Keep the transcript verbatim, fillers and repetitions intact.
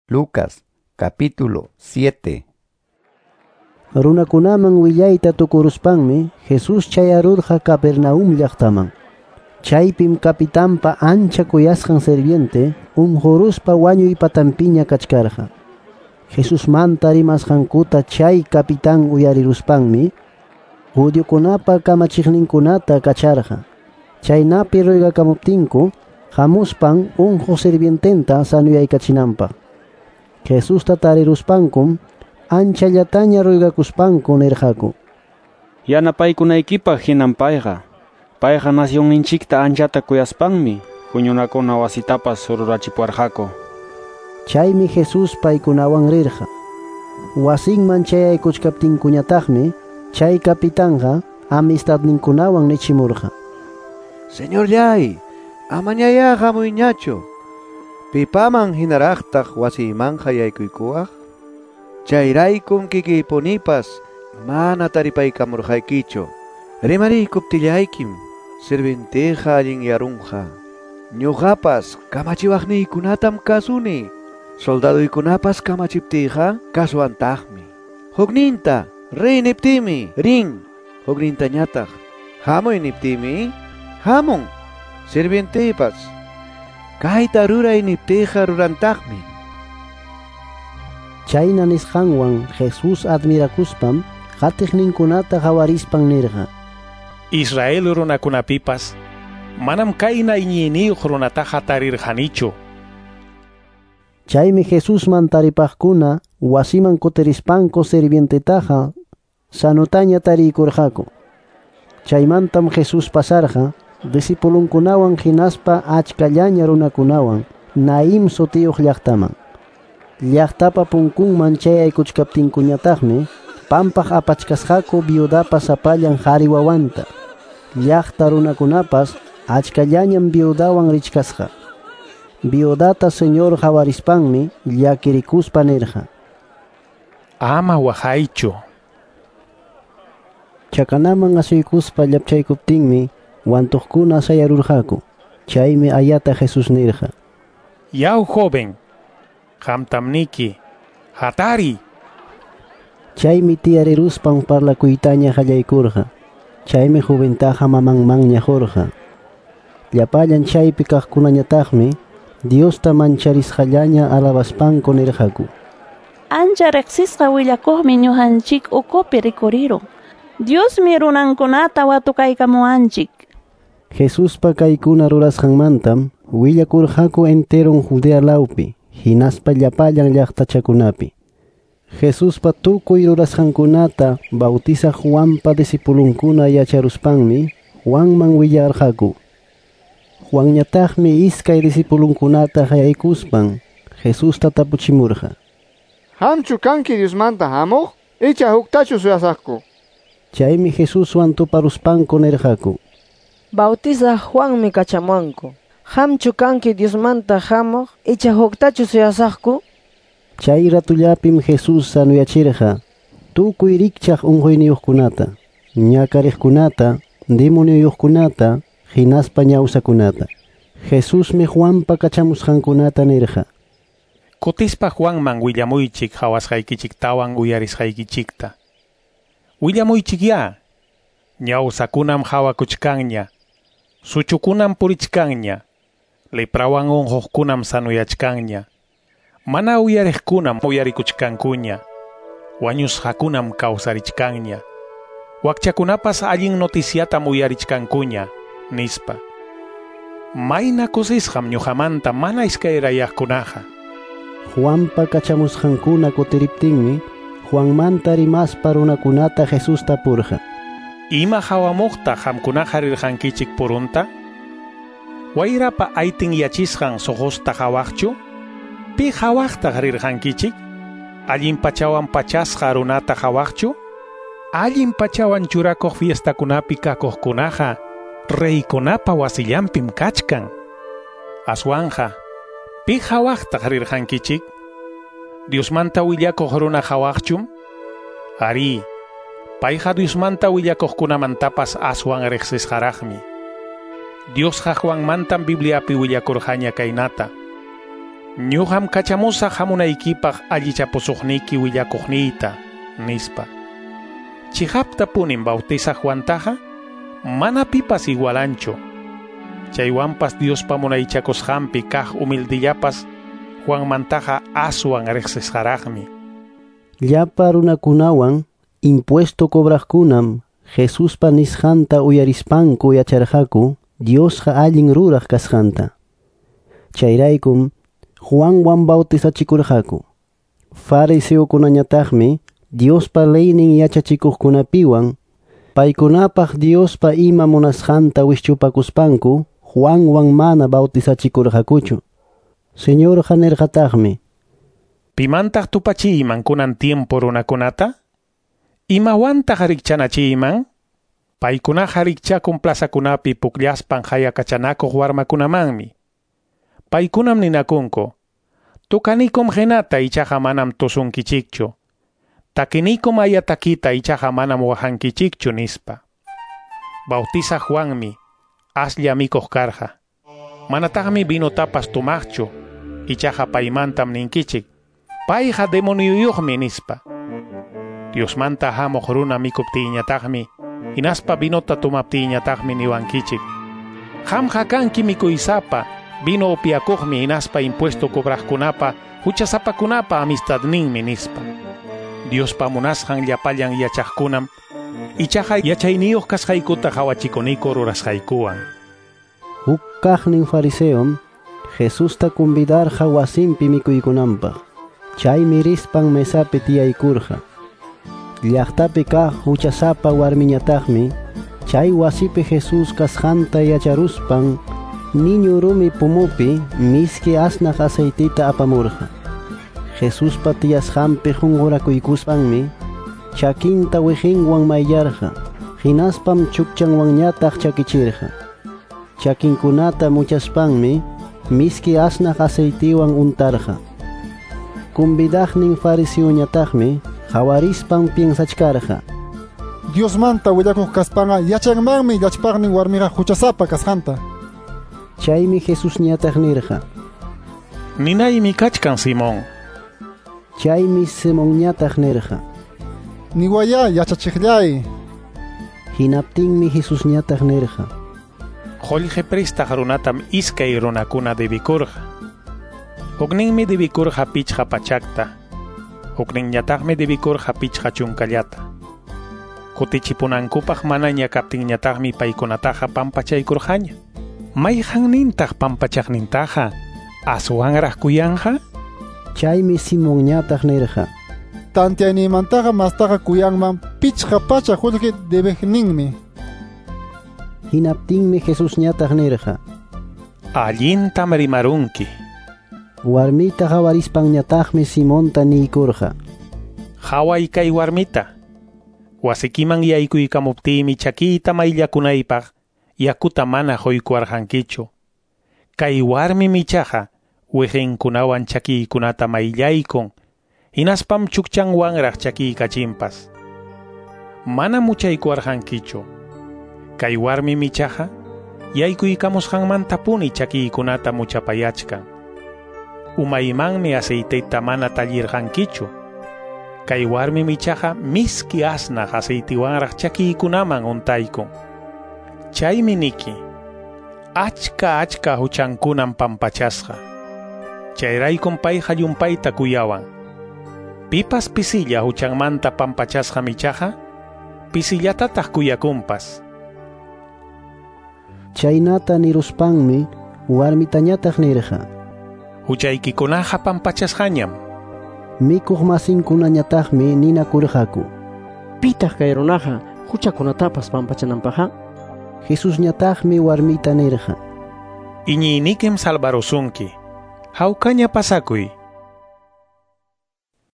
Lucas capítulo siete. Runakunaman willayta tukuruspanmi Jesús chayarurqa Capernaum llaqtaman. Chaypim kapitanpa ancha kuyasqan sirviente unquruspa wañuy patanpiña kachkarqa. Jesusmanta rimasqankuta chay kapitan uyariruspanmi judiokunapa kamachiqninkunata kacharqa. Chaynapi ruegakamuptinku hamuspan unquq sirviententa sanuyaykachinanpaq. Jesusta tariruspankum anchallataña ruegakuspanku nirqaku: Yanapaykunaykipaq hinam payqa. Payqa nacionninchikta anchata kuyaspanmi huñunakuna wasitapas rurachipuwarqaku. Chaymi Jesús paykunawan rirqa. Wasinman chayaykuchkaptinkuñataqmi chay kapitanqa amistadninkunawan nichimurqa: Señorllay, amañayá hamuyñachu. Pipaman hinaraqtaq wasiymanqa yaykuykuwaq? Chayraykum kikiypunipas mana taripaykamurqaykichu. Rimariykuptillaykim sirvientiyqa allinyarunqa. Ñuqapas kamachiwaqniykunatam kasuni. Soldaduykunapas kamachiptiyqa kasuwantaqmi. Hukninta riy niptiymi rin, huknintañataq hamuy niptiymi hamun. Sirvientiypas kayta ruray niptiyqa rurantaqmi. Chayna nisqanwan Jesús admirakuspam qatiqninkunata qawarispan nirqa: Israel runakunapipas manam kayna iñiyniyuq runataqa tarirqanichu. Chaymi Jesusman taripaqkuna wasiman kutirispanku sirvientetaqa sanutaña tariykurqaku. Chaymantam Jesús pasarqa discipulunkunawan hinaspa achkallaña runakunawan Naim sutiyuq llaqtaman. Llaqtapa punkunman chayaykuchkaptinkuñataqmi pampaq apachkasqaku viudapa sapallan qhari wawanta. Llaqta runakunapas achkallañam viudawan richkasqa. Viudata Señor qawarispanmi llakirikuspa nirqa: Ama waqaychu. Chakanaman asuykuspa llapchaykuptinmi wantuqkuna sayarurqaku. Chaymi ayata Jesús nirqa: Yaw joven, qamtam niki, hatari. Chaymi tiyariruspan parlakuytaña qallaykurqa. Chaymi joventaqa mamanmanña qurqa. Llapallan chaypi kaqkunañataqmi Diosta mancharisqallaña alabaspanku nirqaku: Ancha riqsisqa willakuqmi ñuqanchik ukupi rikurirun. Diosmi runankunata watukaykamuwanchik. Jesuspa kaykuna rurasqanmantam willakurqaku enteron Judea lawpi hinaspa llapallan llaqtachakunapi. Jesuspa tukuy rurasqankunata bautizaq Juanpa discipulunkuna yacharuspanmi Juanman willarqaku. Juanñataqmi iskay discipulunkunata qayaykuspan Jesusta tapuchimurqa: Qamchu kanki Diosmanta hamuq icha huktachu suyasaqku? Chaymi Jesuswan tuparuspanku nirqaku: Bautizaq Juanmi kachamuwanku. Qamchu kanki Diosmanta hamuq icha huktachu suyasaqku? Chay ratullapim Jesús sanuyachirqa tukuy rikchaq unquyniyuqkunata, ñakariqkunata, demonioyuqkunata, hinaspa ñawsakunata. Jesusmi Juanpa kachamusqankunata nirqa: Kutispa Juanman willamuychik qhawasqaykichiktawan uyarisqaykichikta. Willamuychikyá, ñawsakunam qhawakuchkanña, suchukunam purichkanña, leprawan unquqkunam sanuyachkanña, mana uyariqkunam uyarikuchkankuña, wañusqakunam kawsarichkanña, wakchakunapas allin noticiatam uyarichkankuña, nispa. Mayna kusisqam ñuqamanta mana iskayrayaqkunaqa. Juanpa kachamusqankuna kutiriptinmi Juanmanta rimaspa runakunata Jesús tapurqa: Ima hawamuqta qamkunaqa rirqankichik purunta? Wayrapa aytin yachisqan suqusta hawaqchu? Pi hawaqtaq rirqankichik? Allin pachawan pachasqa runata hawaqchu? Allin pachawan churakuq fiestakunapi kakuqkunaqa reykunapa wasillanpim kachkan. Aswanja, pi hawaqtaq rirqankichik? Diosmanta willakuq runa hawaqchum? Ari, payqa Diosmanta willakuqkunamantapas aswan riqsisqaraqmi. Diosqa Juanmantam Bibliapi willakurqaña kaynata: Ñuqam kachamusaq hamunaykipaq allichapusuqniki willakuqniyta, nispa. Chiqaptapunim Bautizaq Juantaqa mana pipas igualanchu. Chaywanpas Diospa munaychakusqanpi kaq humildillapas Juanmantaqa aswan riqsisqaraqmi. Llapa runakunawan impuesto cobraqkunam Jesuspa nisqanta uyarispanku yacharqaku Diosqa allin ruraq kasqanta. Chayraykum Juanwan bautizachikurqaku. Fariseokunañataqmi Diospa leynin yachachikuqkunapiwan paykunapaq Diospa ima munasqanta wischupakuspanku Juanwan mana bautizachikurqakuchu. Señorqa nirqataqmi: Pimantaq tupachiyman kunan tiempo runakunata? Imawantaq rikchanachiyman? Paykunaqa rikchakun plazakunapi pukllaspan hayakachanakuq warmakunamanmi. Paykunam ninakunku: Tukanikum hinata ichaqa manam tusunkichikchu. Takinikum ayatakita ichaqa manam waqankichikchu, nispa. Bautizaq Juanmi aslla mikuq karqa. Manataqmi vinotapas tumaqchu, ichaqa paymantam ninkichik: Payqa demonioyuqmi, nispa. Diosmanta hamuq runa mikuptiyñataqmi, hinaspa vinota tumaptiyñataqmi niwankichik: Qamqa kanki mikuysapa, vino upiakuqmi hinaspa impuesto cobraqkunapa, huchasapakunapa amistadninmi, nispa. Diospa munasqan llapallan yachaqkunam ichaqa yachayniyuq kasqaykuta qhawachikuniku rurasqaykuwan. Huk kaqnin fariseom Jesusta convidarqa wasinpi mikuykunanpaq. Chaymi rispan mesapi tiyaykurqa. Llaqtapi kaq huchasapa warmiñataqmi chay wasipi Jesús kasqanta yacharuspan niñu rumi pumupi miski asnaq aceitita apamurqa. Jesuspa tiyasqanpi qunqurakuykuspanmi chakinta wiqinwan mayllarqa, hinaspam chukchanwanñataq chakichirqa. Chakinkunata muchaspanmi miski asnaq aceitiwan untarqa. Convidaqnin fariseoñataqmi qawarispan piensachkarqa: Diosmanta willakuq kaspanqa yachanmanmi llachpaqnin warmiqa huchasapa kasqanta. Chaymi Jesusñataq nirqa: Ninaymi kachkan, Simón. Chaymi Simonñataq nirqa: Niwaya yachachiqllay. Hinaptinmi Jesusñataq nirqa: Qullqi prestaq runatam iskay runakuna debikurqa. Hukninmi debikurqa pichqa pachakta, hukninñataqmi debikurqa pichqa chunkallata. Kutichipunankupaq manaña kaptinñataqmi paykunataqa pampachaykurqaña. Mayqannintaq pampachaqnintaqa aswanraq kuyanqa? Chaymi Simonñataq nirqa: Tantiayninmantaqa mastaqa kuyanman pichqa pachak qullqi debiqninmi. Hinaptinmi Jesusñataq nirqa: Allintam rimarunki. Warmita qawarispanñataqmi Simonta niykurqa: Qhaway kay warmita. Wasikiman yaykuykamuptiymi chakiyta mayllakunaypaq yakuta mana quykuwarqankichu. Kay warmim ichaqa wiqinkunawan chakiykunata mayllaykun, hinaspam chukchanwanraq chakiykachinpas. Mana muchaykuwarqankichu. Kay warmim ichaqa yaykuykamusqanmantapuni chakiykunata muchapayachkan. Umaymanmi aceiteta mana tallirqankichu. Kay warmim ichaqa miski asnaq aceitiwanraq chakiykunaman untaykun. Chaymi niki, achka achka huchankunam pampachasqa. Chayraykum payqa llumpayta kuyawan. Pipas pisilla huchanmanta pampachasqam ichaqa, pisillatataq kuyakunpas. Chaynata niruspanmi warmitañataq nirqa: Huchaykikunaqa pampachasqañam. Mikuq masinkunañataqmi ninakurqaku: Pitaq kay runaqa huchakunatapas pampachananpaqqa? Jesusñataqmi warmita nirqa: Iñiynikim salvarusunki. Hawkaña pasakuy.